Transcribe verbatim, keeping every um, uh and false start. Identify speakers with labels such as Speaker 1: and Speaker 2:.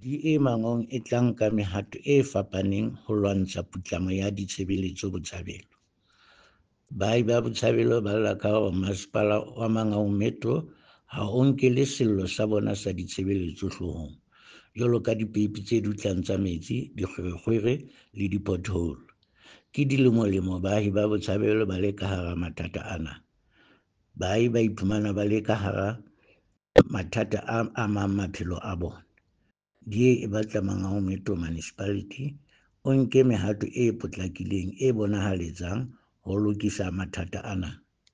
Speaker 1: D A Mangaung e tla nka mehato e fapaneng ho lwantsha putlamo ya ditshebeletso Botshabelo. Baahi ba Botshabelo ba lla ka hore masepala wa Mangaung Metro ha o nkele sello sa bona sa ditshebeletso hloohong, jwalo ka dipeipi tse dutlang tsa metsi, dikgwerekgwere le di-pothole. Ke dilemolemo baahi ba Botshabelo ba le ka hara mathata ana. Baahi ba iphumana ba le ka hara mathata a amang maphelo a bona. D A e batla Mangaung Metro Municipality o nke mehato e potlakileng e bonahaletsang ho lokisa mathata ana.